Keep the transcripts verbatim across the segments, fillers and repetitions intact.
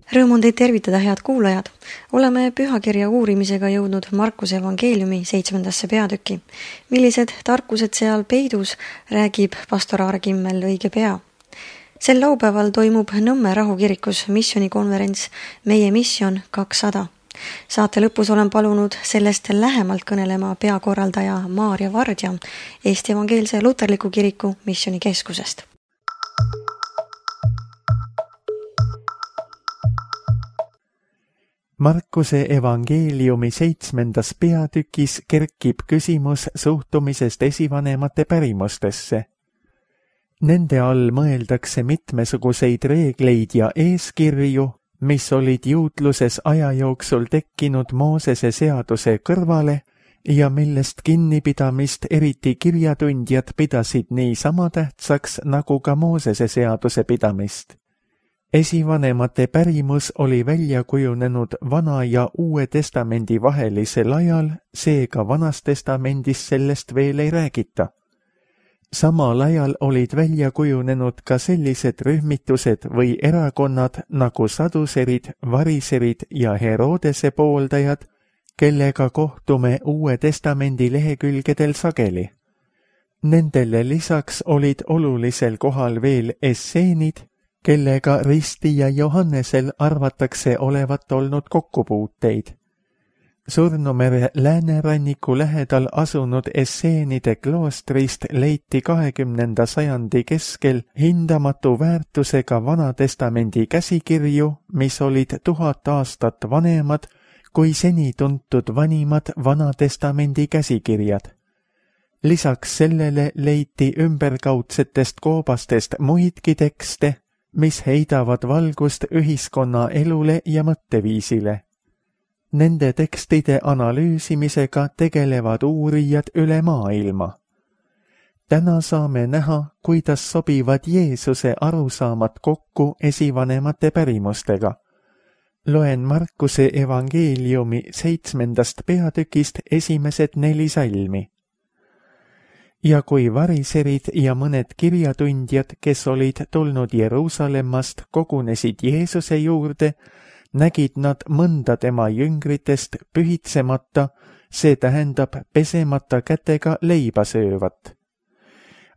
Rõõm on teid tervitada, head kuulajad. Oleme pühakirja uurimisega jõudnud Markuse evangeeliumi seitsmendasse peatüki. Millised tarkused seal peidus, räägib pastor Aare Kimmel õige pea. Sel laupäeval toimub Nõmme rahukirikus missionikonverents Meie missioon kakssada. Saate lõpus olen palunud sellest lähemalt kõnelema peakorraldaja Maarja Vardja Eesti Evangeelse Luterliku Kiriku missionikeskusest. Markuse evangeeliumi seitsmendas peatükis kerkib küsimus suhtumisest esivanemate pärimustesse. Nende all mõeldakse mitmesuguseid reegleid ja eeskirju, mis olid juutluses aja jooksul tekkinud Moosese seaduse kõrvale ja millest kinnipidamist eriti kirjatundjad pidasid nii sama tähtsaks nagu ka Moosese seaduse pidamist. Esivanemate pärimus oli välja kujunenud Vana ja Uue testamendi vahelisel ajal, seega Vanas testamendis sellest veel ei räägita. Samal ajal olid välja kujunenud ka sellised rühmitused või erakonnad nagu saduserid, variserid ja Herodese pooldajad, kellega kohtume Uue testamendi lehekülgedel sageli. Nendele lisaks olid olulisel kohal veel esseenid, kellega Risti ja Johannesel arvatakse olevat olnud kokkupuuteid. Surnumere lääneranniku lähedal asunud esseenide kloostrist leiti kahekümnenda sajandi keskel hindamatu väärtusega Vanatestamendi käsikirju, mis olid tuhat aastat vanemad kui seni tuntud vanimad Vanatestamendi käsikirjad. Lisaks sellele leiti ümberkaudsetest koobastest muidki tekste, mis heidavad valgust ühiskonna elule ja mõtteviisile. Nende tekstide analüüsimisega tegelevad uurijad üle maailma. Täna saame näha, kuidas sobivad Jeesuse arusaamad kokku esivanemate pärimustega. Loen Markuse evangeeliumi seitsmendast peatükist esimesed neli salmi. Ja kui variserid ja mõned kirjatundjad, kes olid tulnud Jeruusalemmast, kogunesid Jeesuse juurde, nägid nad mõnda tema jüngritest pühitsemata, see tähendab pesemata kätega leiba söövat.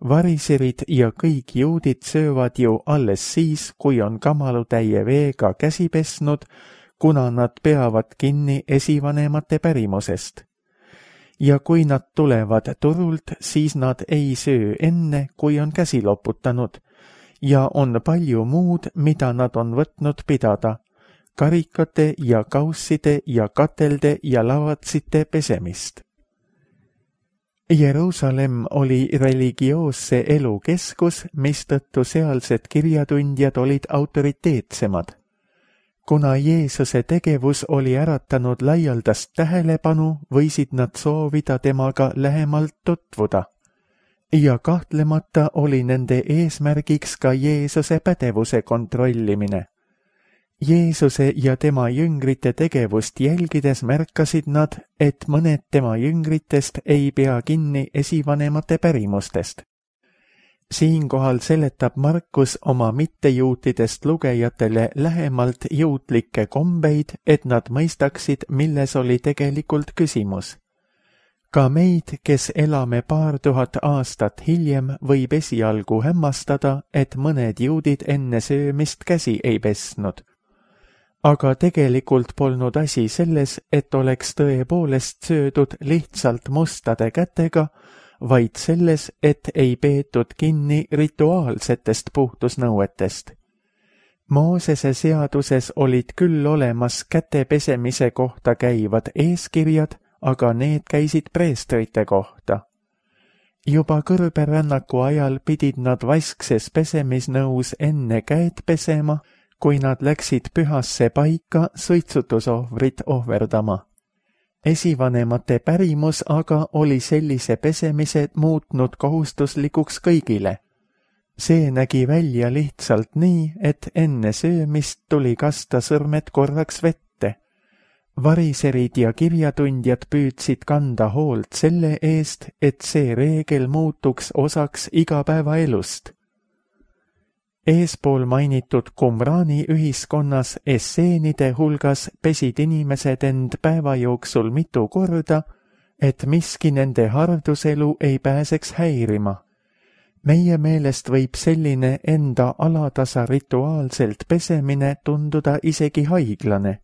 Variserid ja kõik juudid söövad ju alles siis, kui on kamalutäie veega käsi pesnud, kuna nad peavad kinni esivanemate pärimusest. Ja kui nad tulevad turult, siis nad ei söö enne, kui on käsi loputanud, ja on palju muud, mida nad on võtnud pidada, karikate ja kausside ja katelde ja lavatsite pesemist. Jeruusalemm oli religioosse elu keskus, mistõttu sealsed kirjatundjad olid autoriteetsemad. Kuna Jeesuse tegevus oli äratanud laialdast tähelepanu, võisid nad soovida temaga lähemalt tutvuda. Ja kahtlemata oli nende eesmärgiks ka Jeesuse pädevuse kontrollimine. Jeesuse ja tema jüngrite tegevust jälgides märkasid nad, et mõned tema jüngritest ei pea kinni esivanemate pärimustest. Siinkohal seletab Markus oma mittejuutidest lugejatele lähemalt juutlikke kombeid, et nad mõistaksid, milles oli tegelikult küsimus. Ka meid, kes elame paar tuhat aastat hiljem, võib esialgu hämmastada, et mõned juudid enne söömist käsi ei pesnud. Aga tegelikult polnud asi selles, et oleks tõepoolest söödud lihtsalt mustade kätega, vaid selles, et ei peetud kinni rituaalsetest puhtusnõuetest. Moosese seaduses olid küll olemas käte pesemise kohta käivad eeskirjad, aga need käisid preestrite kohta. Juba kõrberännaku ajal pidid nad vaskses pesemisnõus enne käed pesema, kui nad läksid pühasse paika suitsutusohvrit ohverdama. Esivanemate pärimus aga oli sellise pesemise muutnud kohustuslikuks kõigile. See nägi välja lihtsalt nii, et enne söömist tuli kasta sõrmed korraks vette. Variserid ja kirjatundjad püüdsid kanda hoolt selle eest, et see reegel muutuks osaks igapäevaelust. Eespool mainitud Qumrani ühiskonnas esseenide hulgas pesid inimesed end päeva jooksul mitu korda, et miski nende harduselu ei pääseks häirima. Meie meelest võib selline enda alatasa rituaalselt pesemine tunduda isegi haiglane.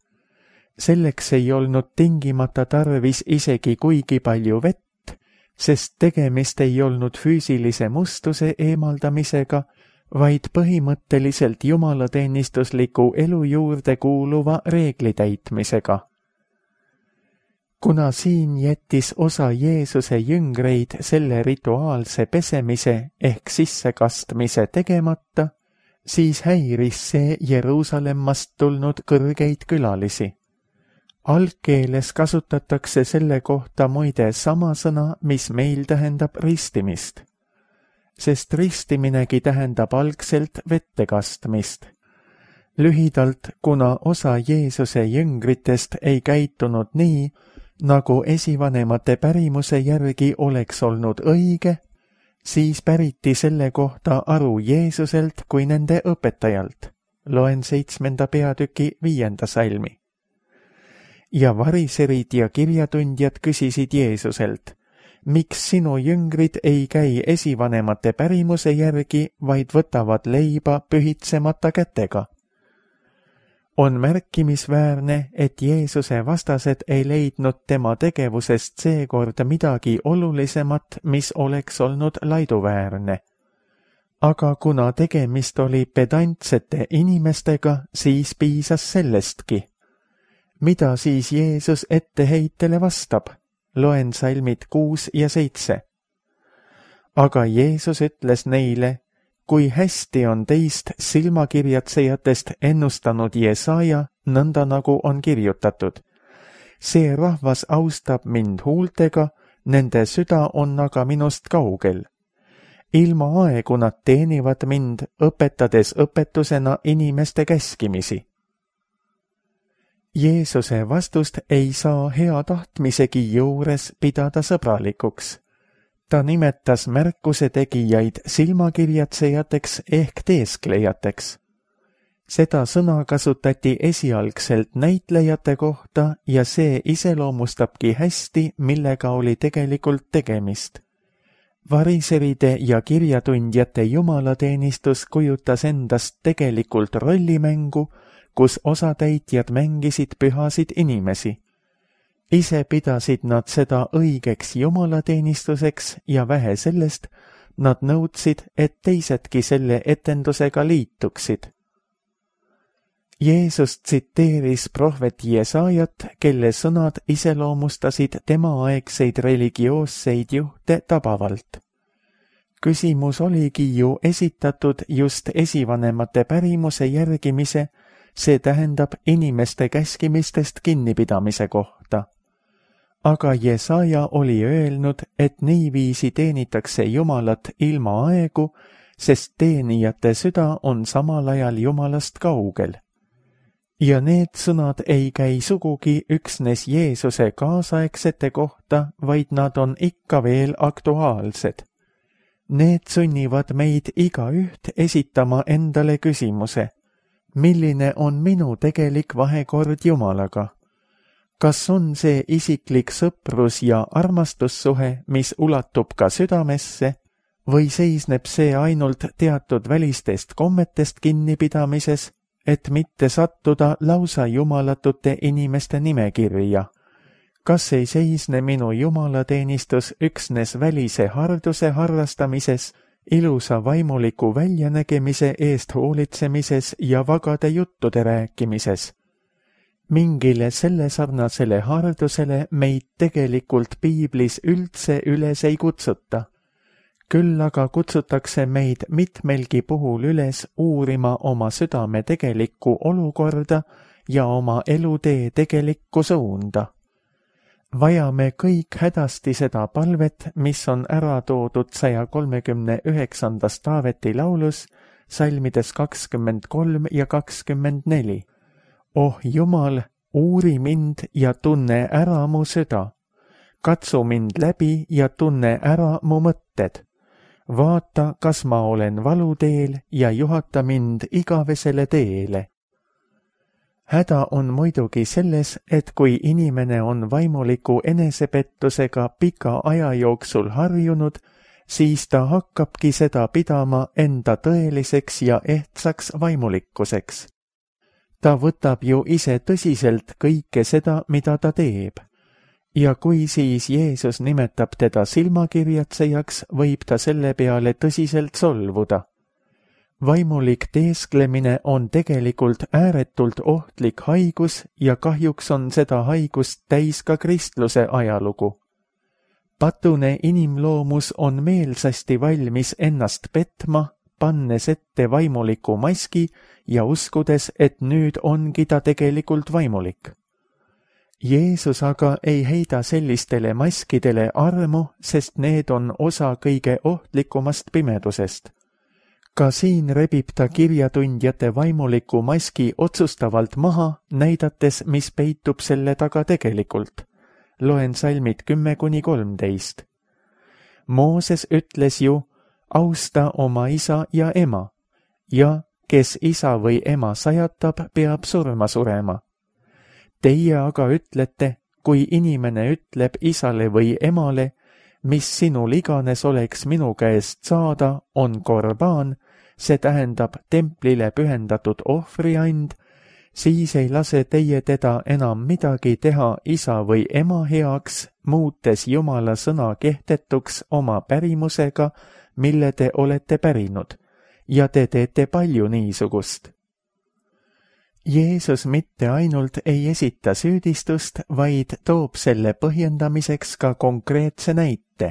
Selleks ei olnud tingimata tarvis isegi kuigi palju vett, sest tegemist ei olnud füüsilise mustuse eemaldamisega, vaid põhimõtteliselt jumalateenistusliku elu juurde kuuluva reegli täitmisega. Kuna siin jättis osa Jeesuse jüngreid selle rituaalse pesemise ehk sissekastmise tegemata, siis häiris see Jeruusalemmast tulnud kõrgeid külalisi. Algkeeles kasutatakse selle kohta muide sama sõna, mis meil tähendab ristimist, sest ristiminegi tähendab algselt vette kastmist. Lühidalt, kuna osa Jeesuse jüngritest ei käitunud nii, nagu esivanemate pärimuse järgi oleks olnud õige, siis päriti selle kohta aru Jeesuselt kui nende õpetajalt. Loen seitsmenda peatüki viienda salmi. Ja variserid ja kirjatundjad küsisid Jeesuselt, miks sinu jüngrid ei käi esivanemate pärimuse järgi, vaid võtavad leiba pühitsemata kätega? On märkimisväärne, et Jeesuse vastased ei leidnud tema tegevusest seekord midagi olulisemat, mis oleks olnud laiduväärne. Aga kuna tegemist oli pedantsete inimestega, siis piisas sellestki. Mida siis Jeesus etteheitele vastab? Loen salmid kuus ja seitse. Aga Jeesus ütles neile, kui hästi on teist silmakirjatsejatest ennustanud Jesaja, nõnda nagu on kirjutatud. See rahvas austab mind huultega, nende süda on aga minust kaugel. Ilma aegu nad teenivad mind, õpetades õpetusena inimeste käskimisi. Jeesuse vastust ei saa hea tahtmisegi juures pidada sõbralikuks. Ta nimetas märkuse tegijaid silmakirjatsejateks ehk teesklejateks. Seda sõna kasutati esialgselt näitlejate kohta ja see iseloomustabki hästi, millega oli tegelikult tegemist. Variseride ja kirjatundjate jumalateenistus kujutas endast tegelikult rollimängu, kus osatäitjad mängisid pühasid inimesi. Ise pidasid nad seda õigeks jumalateenistuseks ja vähe sellest, nad nõudsid, et teisedki selle etendusega liituksid. Jeesus tsiteeris prohvet Jesajat, kelle sõnad iseloomustasid temaaegseid religioosseid juhte tabavalt. Küsimus oligi ju esitatud just esivanemate pärimuse järgimise, see tähendab inimeste käskimistest kinnipidamise kohta. Aga Jesaja oli öelnud, et niiviisi teenitakse Jumalat ilma aegu, sest teenijate süda on samal ajal Jumalast kaugel. Ja need sõnad ei käi sugugi üksnes Jeesuse kaasaegsete kohta, vaid nad on ikka veel aktuaalsed. Need sunnivad meid igaüht esitama endale küsimuse, milline on minu tegelik vahekord Jumalaga? Kas on see isiklik sõprus ja armastussuhe, mis ulatub ka südamesse, või seisneb see ainult teatud välistest kommetest kinnipidamises, et mitte sattuda lausa jumalatute inimeste nimekirja? Kas ei seisne minu jumalateenistus üksnes välise harduse harrastamises, ilusa vaimuliku väljanägemise eest hoolitsemises ja vagade juttude rääkimises? Mingile selle sarnasele hardusele meid tegelikult piiblis üldse üles ei kutsuta. Küll aga kutsutakse meid mitmelgi puhul üles uurima oma südame tegelikku olukorda ja oma elutee tegelikku suunda. Vajame kõik hädasti seda palvet, mis on ära toodud saja kolmekümne üheksandas Taaveti laulus, salmides kakskümmend kolm ja kakskümmend neli. Oh Jumal, uuri mind ja tunne ära mu süda. Katsu mind läbi ja tunne ära mu mõtted. vaata, kas ma olen valuteel ja juhata mind igavesele teele. Häda on muidugi selles, et kui inimene on vaimuliku enesepettusega pika aja jooksul harjunud, siis ta hakkabki seda pidama enda tõeliseks ja ehtsaks vaimulikkuseks. Ta võtab ju ise tõsiselt kõike seda, mida ta teeb. Ja kui siis Jeesus nimetab teda silmakirjatsejaks, võib ta selle peale tõsiselt solvuda. Vaimulik teesklemine on tegelikult ääretult ohtlik haigus ja kahjuks on seda haigust täis ka kristluse ajalugu. Patune inimloomus on meelsasti valmis ennast petma, pannes ette vaimuliku maski ja uskudes, et nüüd ongi ta tegelikult vaimulik. Jeesus aga ei heida sellistele maskidele armu, sest need on osa kõige ohtlikumast pimedusest. Ka siin rebib ta kirjatundjate vaimuliku maski otsustavalt maha, näidates, mis peitub selle taga tegelikult. Loen salmid kümme kuni kolmteist. Mooses ütles ju, austa oma isa ja ema, ja kes isa või ema sajatab, peab surma surema. Teie aga ütlete, kui inimene ütleb isale või emale, mis sinul iganes oleks minu käest saada, on korbaan, see tähendab templile pühendatud ohvriand, siis ei lase teie teda enam midagi teha isa või ema heaks, muutes Jumala sõna kehtetuks oma pärimusega, mille te olete pärinud, ja te teete palju niisugust. Jeesus mitte ainult ei esita süüdistust, vaid toob selle põhjendamiseks ka konkreetse näite.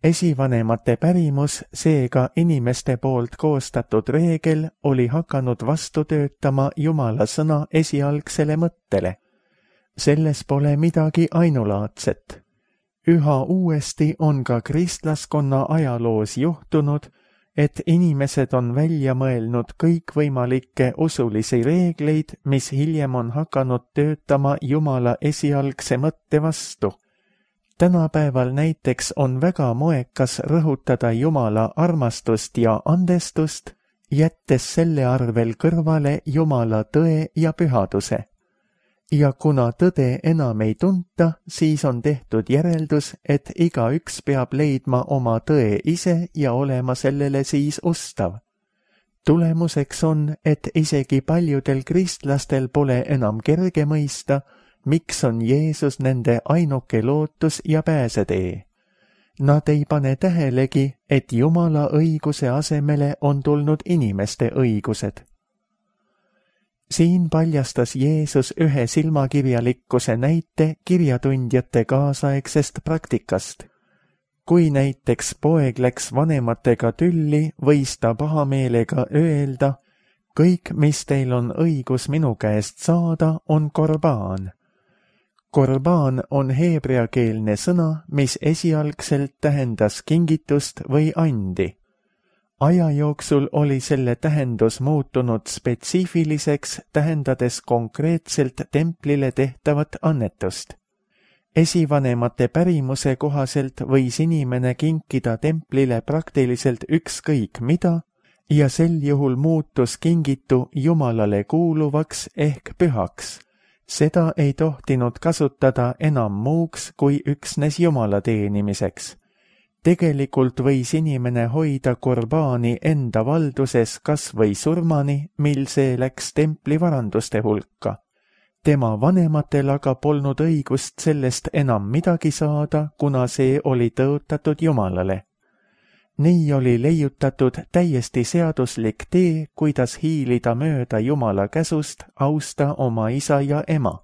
Esivanemate pärimus, seega inimeste poolt koostatud reegel, oli hakanud vastu töötama Jumala sõna esialgsele mõttele. Selles pole midagi ainulaadset. Üha uuesti on ka kristlaskonna ajaloos juhtunud, et inimesed on välja mõelnud kõikvõimalikke usulisi reegleid, mis hiljem on hakanud töötama Jumala esialgse mõtte vastu. Tänapäeval näiteks on väga moekas rõhutada Jumala armastust ja andestust, jättes selle arvel kõrvale Jumala tõe ja pühaduse. Ja kuna tõde enam ei tunta, siis on tehtud järeldus, et igaüks peab leidma oma tõe ise ja olema sellele siis ustav. Tulemuseks on, et isegi paljudel kristlastel pole enam kerge mõista, miks on Jeesus nende ainuke lootus ja pääsetee. Nad ei pane tähelegi, et Jumala õiguse asemele on tulnud inimeste õigused. Siin paljastas Jeesus ühe silmakirjalikkuse näite kirjatundjate kaasaegsest praktikast. Kui näiteks poeg läks vanematega tülli, võis ta pahameelega öelda, kõik, mis teil on õigus minu käest saada, on korbaan. Korbaan on heebreakeelne sõna, mis esialgselt tähendas kingitust või andi. Aja jooksul oli selle tähendus muutunud spetsiifiliseks, tähendades konkreetselt templile tehtavat annetust. Esivanemate pärimuse kohaselt võis inimene kinkida templile praktiliselt ükskõik mida ja sel juhul muutus kingitu Jumalale kuuluvaks ehk pühaks. Seda ei tohtinud kasutada enam muuks kui üksnes Jumala teenimiseks. Tegelikult võis inimene hoida korbaani enda valduses kas või surmani, mil see läks templi varanduste hulka. Tema vanematel aga polnud õigust sellest enam midagi saada, kuna see oli tõotatud Jumalale. Nii oli leiutatud täiesti seaduslik tee, kuidas hiilida mööda Jumala käsust austa oma isa ja ema.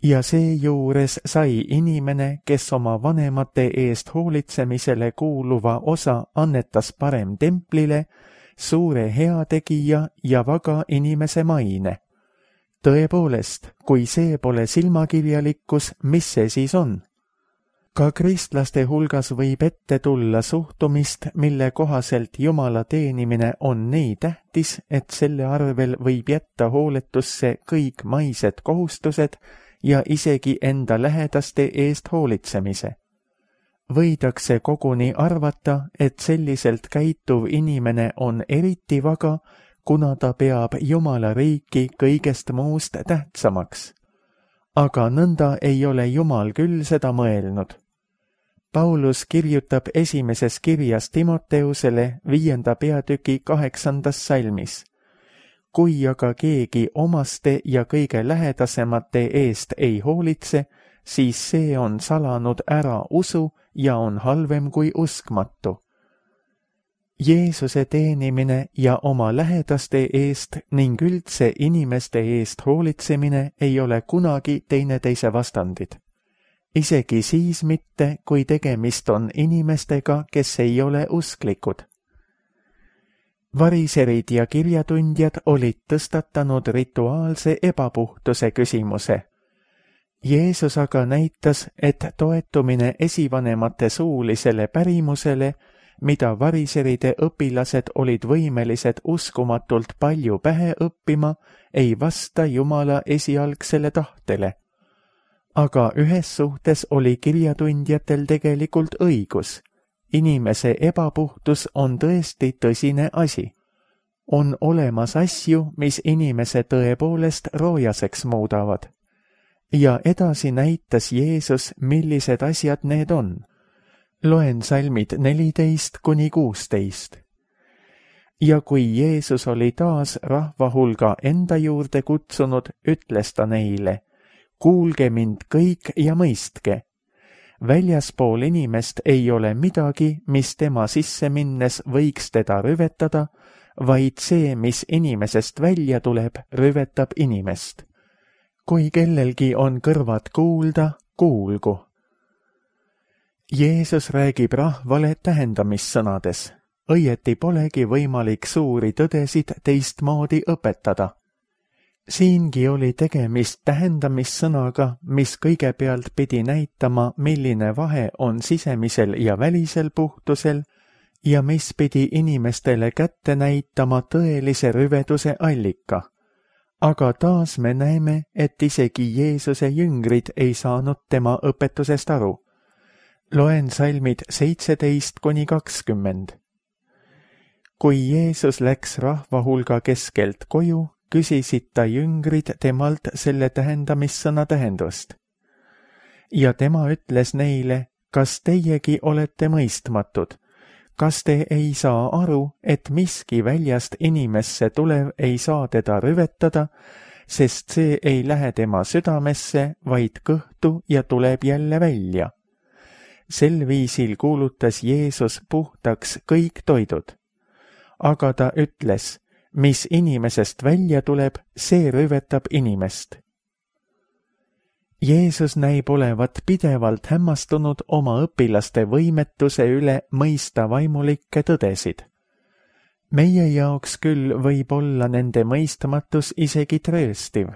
Ja seejuures sai inimene, kes oma vanemate eest hoolitsemisele kuuluva osa annetas parem templile, suure heategija ja vaga inimese maine. Tõepoolest, kui see pole silmakirjalikkus, mis see siis on? Ka kristlaste hulgas võib ette tulla suhtumist, mille kohaselt Jumala teenimine on nii tähtis, et selle arvel võib jätta hooletusse kõik maised kohustused ja isegi enda lähedaste eest hoolitsemise. võidakse koguni arvata, et selliselt käituv inimene on eriti vaga, kuna ta peab Jumala riiki kõigest muust tähtsamaks. Aga nõnda ei ole Jumal küll seda mõelnud. Paulus kirjutab esimeses kirjas Timoteusele viienda peatüki kaheksandas salmis. Kui aga keegi omaste ja kõige lähedasemate eest ei hoolitse, siis see on salanud ära usu ja on halvem kui uskmatu. Jeesuse teenimine ja oma lähedaste eest ning üldse inimeste eest hoolitsemine ei ole kunagi teineteise vastandid. Isegi siis mitte, kui tegemist on inimestega, kes ei ole usklikud. Variserid ja kirjatundjad olid tõstatanud rituaalse ebapuhtuse küsimuse. Jeesus aga näitas, et toetumine esivanemate suulisele pärimusele, mida variseride õpilased olid võimelised uskumatult palju pähe õppima, ei vasta Jumala esialgsele tahtele. Aga ühes suhtes oli kirjatundjatel tegelikult õigus. Inimese ebapuhtus on tõesti tõsine asi. On olemas asju, mis inimese tõepoolest roojaseks muudavad. Ja edasi näitas Jeesus, millised asjad need on. Loen salmid neliteist kuni kuusteist. Ja kui Jeesus oli taas rahva hulga enda juurde kutsunud, ütles ta neile, kuulge mind kõik ja mõistke. Väljaspool inimest ei ole midagi, mis tema sisse minnes võiks teda rüvetada, vaid see, mis inimesest välja tuleb, rüvetab inimest. Kui kellelgi on kõrvad kuulda, kuulgu. Jeesus räägib rahvale tähendamissõnades. Õieti polegi võimalik suuri tõdesid teistmoodi õpetada. Siingi oli tegemist tähendamissõnaga, mis kõigepealt pidi näitama, milline vahe on sisemisel ja välisel puhtusel ja mis pidi inimestele kätte näitama tõelise rüveduse allika. Aga taas me näeme, et isegi Jeesuse jüngrid ei saanud tema õpetusest aru. Loen salmid seitseteist kuni kakskümmend. Kui Jeesus läks rahva hulga keskelt koju, küsisid ta jüngrid temalt selle tähendamissõna tähendust. Ja tema ütles neile, kas teiegi olete mõistmatud? Kas te ei saa aru, et miski väljast inimesse tulev ei saa teda rüvetada, sest see ei lähe tema südamesse, vaid kõhtu ja tuleb jälle välja? Sel viisil kuulutas Jeesus puhtaks kõik toidud. Aga ta ütles, mis inimesest välja tuleb, see rüvetab inimest. Jeesus näib olevat pidevalt hämmastunud oma õpilaste võimetuse üle mõista vaimulikke tõdesid. Meie jaoks küll võib olla nende mõistmatus isegi trööstiv.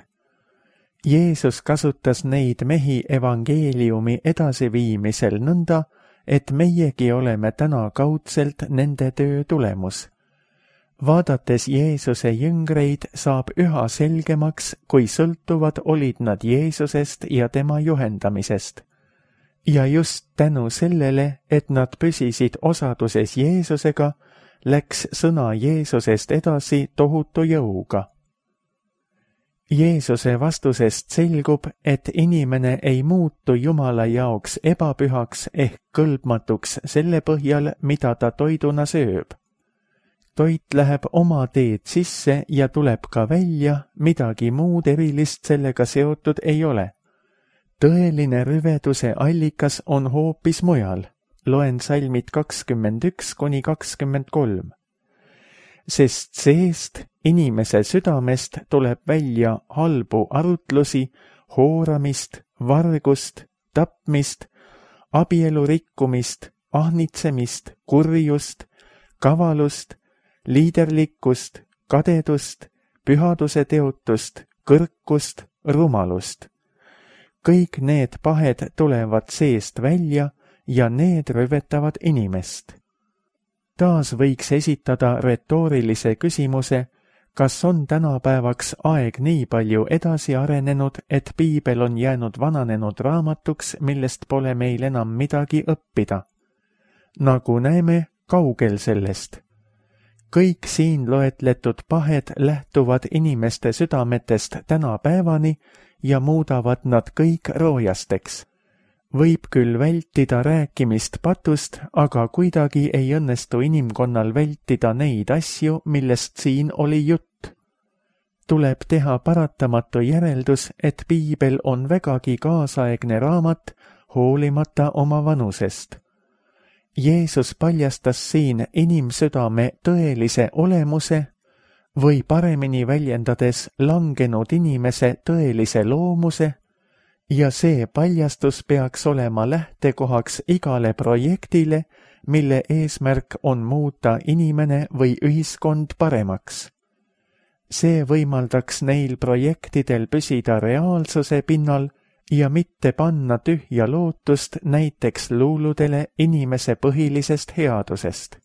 Jeesus kasutas neid mehi evangeeliumi edasiviimisel nõnda, et meiegi oleme täna kaudselt nende töö tulemus. Vaadates Jeesuse jüngreid saab üha selgemaks, kui sõltuvad olid nad Jeesusest ja tema juhendamisest. Ja just tänu sellele, et nad püsisid osaduses Jeesusega, läks sõna Jeesusest edasi tohutu jõuga. Jeesuse vastusest selgub, et inimene ei muutu Jumala jaoks ebapühaks ehk kõlbmatuks selle põhjal, mida ta toiduna sööb. Toit läheb oma teed sisse ja tuleb ka välja, midagi muud erilist sellega seotud ei ole. Tõeline rüveduse allikas on hoopis mujal. Loen salmid kakskümmend üks kuni kakskümmend kolm. Sest seest, inimese südamest tuleb välja halbu arutlusi, hooramist, vargust, tapmist, abielu rikkumist, ahnitsemist, kurjust, kavalust, liiderlikkust, kadedust, pühaduse teotust, kõrkust, rumalust. Kõik need pahed tulevad seest välja ja need rüvetavad inimest. Taas võiks esitada retoorilise küsimuse, kas on tänapäevaks aeg nii palju edasi arenenud, et piibel on jäänud vananenud raamatuks, millest pole meil enam midagi õppida. nagu näeme kaugel sellest. Kõik siin loetletud pahed lähtuvad inimeste südametest tänapäevani ja muudavad nad kõik roojasteks. Võib küll vältida rääkimist patust, aga kuidagi ei õnnestu inimkonnal vältida neid asju, millest siin oli jutt. Tuleb teha paratamatu järeldus, et piibel on vägagi kaasaegne raamat, hoolimata oma vanusest. Jeesus paljastas siin inimsüdame tõelise olemuse või paremini väljendades langenud inimese tõelise loomuse ja see paljastus peaks olema lähtekohaks igale projektile, mille eesmärk on muuta inimene või ühiskond paremaks. See võimaldaks neil projektidel püsida reaalsuse pinnal ja mitte panna tühja lootust näiteks luuludele inimese põhilisest headusest.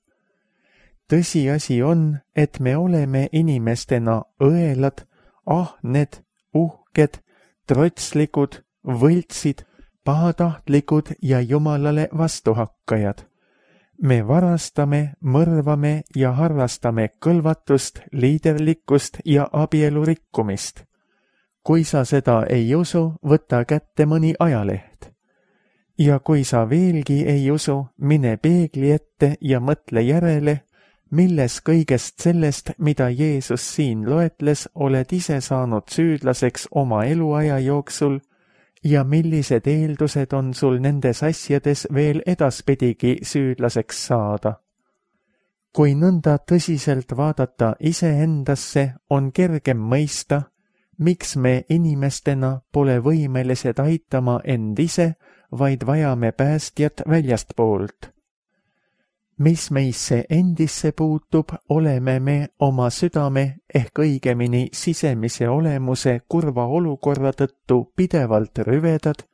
Tõsiasi on, et me oleme inimestena õelad, ahned, uhked, trotslikud, võltsid, pahatahtlikud ja Jumalale vastuhakkajad. Me varastame, mõrvame ja harrastame kõlvatust, liiderlikkust ja abielu rikkumist. Kui sa seda ei usu, võta kätte mõni ajaleht. Ja kui sa veelgi ei usu, mine peegli ette ja mõtle järele, milles kõigest sellest, mida Jeesus siin loetles, oled ise saanud süüdlaseks oma eluaja jooksul ja millised eeldused on sul nendes asjades veel edaspidigi süüdlaseks saada. Kui nõnda tõsiselt vaadata iseendasse, on kergem mõista, miks me inimestena pole võimelised aitama end ise, vaid vajame päästjat väljastpoolt. Mis meisse endisse puutub, oleme me oma südame ehk õigemini sisemise olemuse kurva olukorra tõttu pidevalt rüvedad,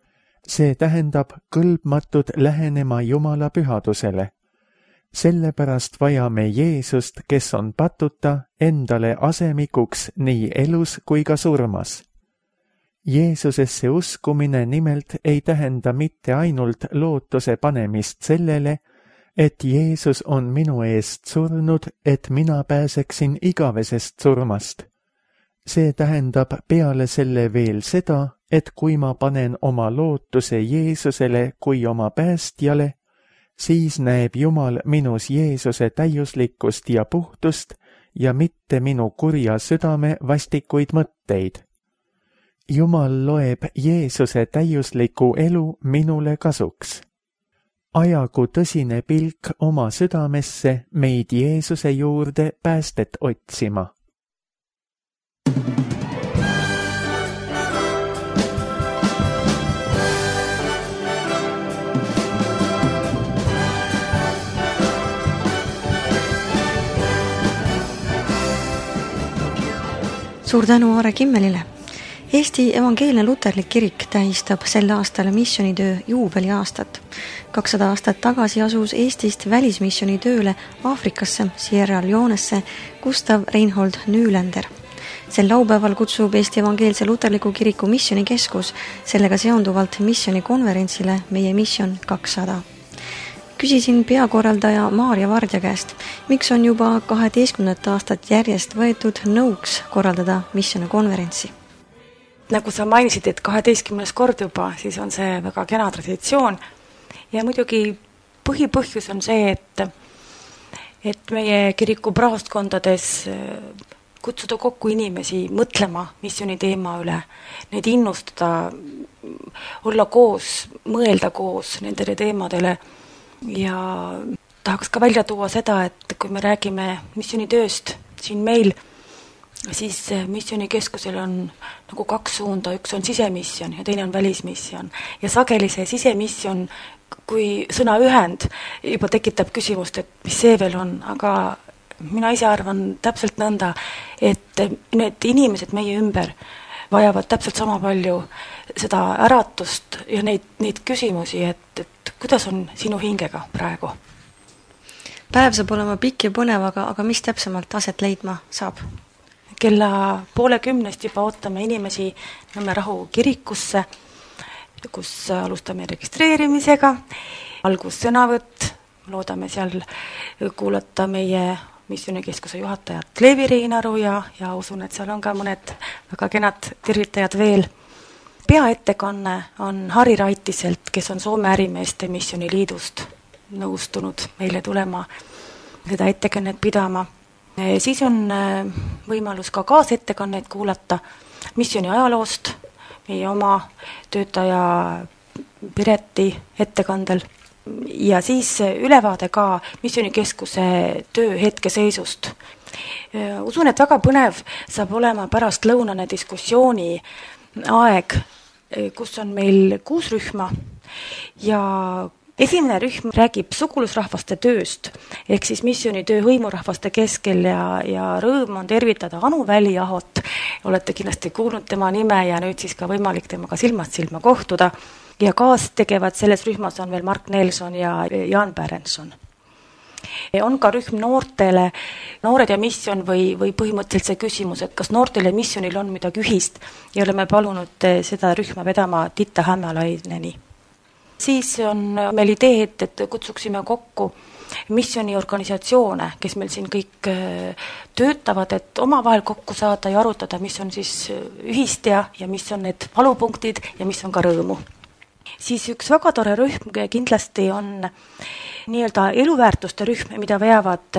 see tähendab kõlbmatud lähenema Jumala pühadusele. Sellepärast vajame Jeesust, kes on patuta, endale asemikuks nii elus kui ka surmas. Jeesusesse uskumine nimelt ei tähenda mitte ainult lootuse panemist sellele, et Jeesus on minu eest surnud, et mina pääseksin igavesest surmast. See tähendab peale selle veel seda, et kui ma panen oma lootuse Jeesusele kui oma päästjale, siis näeb Jumal minus Jeesuse täiuslikkust ja puhtust ja mitte minu kurja südame vastikuid mõtteid. Jumal loeb Jeesuse täiusliku elu minule kasuks. Ajagu tõsine pilk oma südamesse meid Jeesuse juurde päästet otsima. Suur tänu Aare Kimmelile. Eesti Evangeelne Luterlik Kirik tähistab sel aastal missionitöö juubeliaastat. kakssada aastat tagasi asus Eestist välismissioni tööle Aafrikasse, Sierra Leonesse Gustav Reinhold Nülander. Sel laupäeval kutsub Eesti Evangeelse Luterliku Kiriku missionikeskus sellega seonduvalt missionikonverentsile Meie mission kakssada. Küsisin peakorraldaja Maarja Vardja käest, miks on juba kaheteistkümnendat aastat järjest võetud nõuks korraldada missionikonverentsi. Nagu sa mainisid, et kaheteistkümnes kord juba, siis on see väga kena traditsioon. Ja muidugi põhipõhjus on see, et, et meie kiriku praostkondades kutsuda kokku inimesi mõtlema missioni teema üle, neid innustada, olla koos, mõelda koos nendele teemadele ja tahaks ka välja tuua seda, et kui me räägime missionitööst siin meil, siis missionikeskusel on nagu kaks suunda, üks on sisemission ja teine on välismission. Ja sageli see sisemission, kui sõna ühend juba tekitab küsimust, et mis see veel on, aga mina ise arvan täpselt nõnda, et need inimesed meie ümber vajavad täpselt sama palju seda äratust ja neid, neid küsimusi, et, et kuidas on sinu hingega praegu? Päev saab olema pikk ja põnev, aga, aga mis täpsemalt aset leidma saab? Kella poole kümnest juba ootame inimesi Nõmme Rahu kirikusse, kus alustame registreerimisega, algussõnavõtt, loodame seal kuulata meie missioonikeskuse juhatajat Leevi Reinaru ja, ja usun, et seal on ka mõned väga kenad tervitajad veel. Peaettekanne on Harri Raitiselt, kes on Soome ärimeeste missiooniliidust nõustunud meile tulema seda ettekannet pidama. Siis on võimalus ka kaasettekannet kuulata missiooni ajaloost, meie oma töötaja Pireti ettekandel ja siis ülevaade ka missioonikeskuse töö hetkeseisust. Usun, et väga põnev saab olema pärast lõunane diskussiooni aeg, kus on meil kuus rühma ja esimene rühm räägib sugulusrahvaste tööst, ehk siis missioonitöö hõimurahvaste keskel ja, ja rõõm on tervitada Anu Väliahot. Olete kindlasti kuulnud tema nime ja nüüd siis ka võimalik temaga silmast silma kohtuda. Ja kaas tegevad selles rühmas on veel Mark Nelson ja Jan Pärenson. On ka rühm noortele, noored ja missioon või, või põhimõtteliselt see küsimus, et kas noortele ja missioonil on midagi ühist ja oleme palunud seda rühma vedama Titta Hämmalaineni. Siis on meil idee, et, et kutsuksime kokku missiooniorganisatsioone, kes meil siin kõik töötavad, et omavahel kokku saada ja arutada, mis on siis ühist ja, ja mis on need valupunktid ja mis on ka rõõmu. Siis üks väga tore rühm kindlasti on nii-öelda eluväärtuste rühm, mida veavad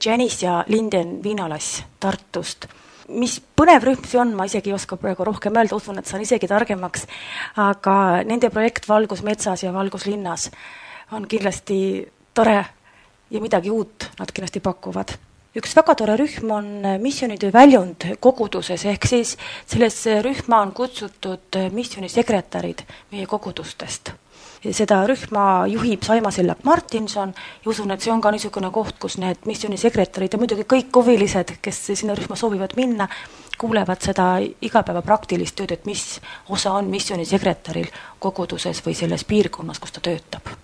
Janice ja Linden Viinalass Tartust. Mis põnev rühm see on, ma isegi ei oska praegu rohkem öelda, usun, et saan isegi targemaks, aga nende projekt Valgus metsas ja Valgus linnas on kindlasti tore ja midagi uut nad kindlasti pakuvad. Üks väga tore rühm on missioonitöö väljund koguduses, ehk siis selles rühma on kutsutud missioonisekretärid meie kogudustest. Seda rühma juhib Saima Sellak Martinson ja usun, et see on ka niisugune koht, kus need missioonisekretärid ja muidugi kõik huvilised, kes sinna rühma soovivad minna, kuulevad seda igapäeva praktilist tööd, et mis osa on missioonisekretäril koguduses või selles piirkonnas, kus ta töötab.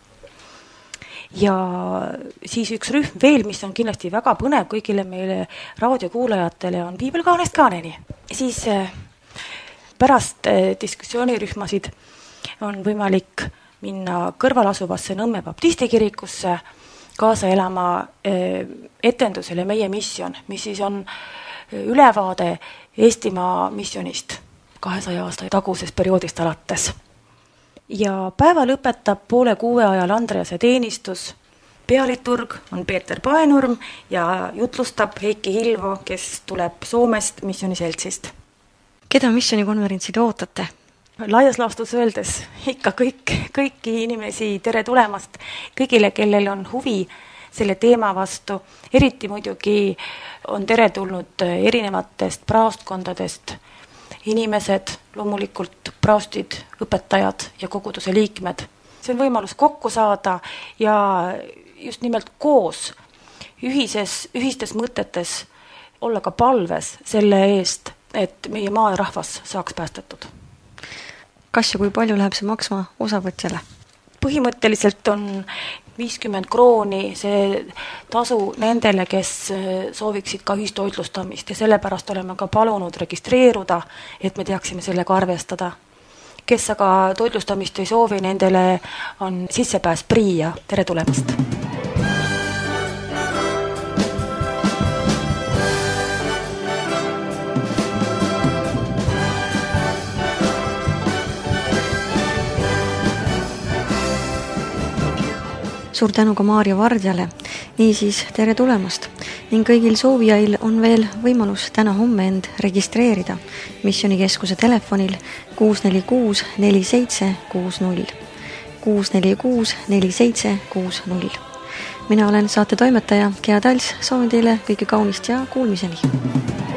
Ja siis üks rühm veel, mis on kindlasti väga põnev kõigile meile raadiokuulajatele, on Piibelkaanest kaaneni. Siis pärast diskussioonirühmasid on võimalik minna kõrval asuvasse Nõmme baptistikirikusse kaasa elama etendusele Meie missioon, mis siis on ülevaade Eestimaa missionist kahesaja aasta tagusest perioodist alates. Ja päeva lõpetab poole kuue ajal Andrease teenistus. Pealiturg on Peeter Paenurm ja jutlustab Heiki Hilvo, kes tuleb Soomest missiooniseltsist. Keda missioonikonverentsid ootate? Laias laastus öeldes ikka kõik, kõiki inimesi tere tulemast, kõigile, kellel on huvi selle teema vastu. Eriti muidugi on tere tulnud erinevatest praostkondadest inimesed, loomulikult praostid, õpetajad ja koguduse liikmed. See on võimalus kokku saada ja just nimelt koos ühises, ühistes mõtetes olla ka palves selle eest, et meie maa ja rahvas saaks päästetud. Kas ja kui palju läheb see maksma osavõtjale? Põhimõtteliselt on viiskümmend krooni see tasu nendele, kes sooviksid ka ühistoitlustamist ja sellepärast oleme ka palunud registreeruda, et me teaksime sellega arvestada. Kes aga toitlustamist ei soovi, nendele on sissepääs prii ja tere tulemast! Suur tänu ka Maarja Vardjale, niisiis tere tulemast ning kõigil soovijail on veel võimalus täna homme end registreerida missioonikeskuse telefonil kuus neli kuus neli seitse kuus null kuus neli kuus neli seitse kuus null. Mina olen saate toimetaja Gea Tals, soovin teile kõike kaunist ja kuulmiseni!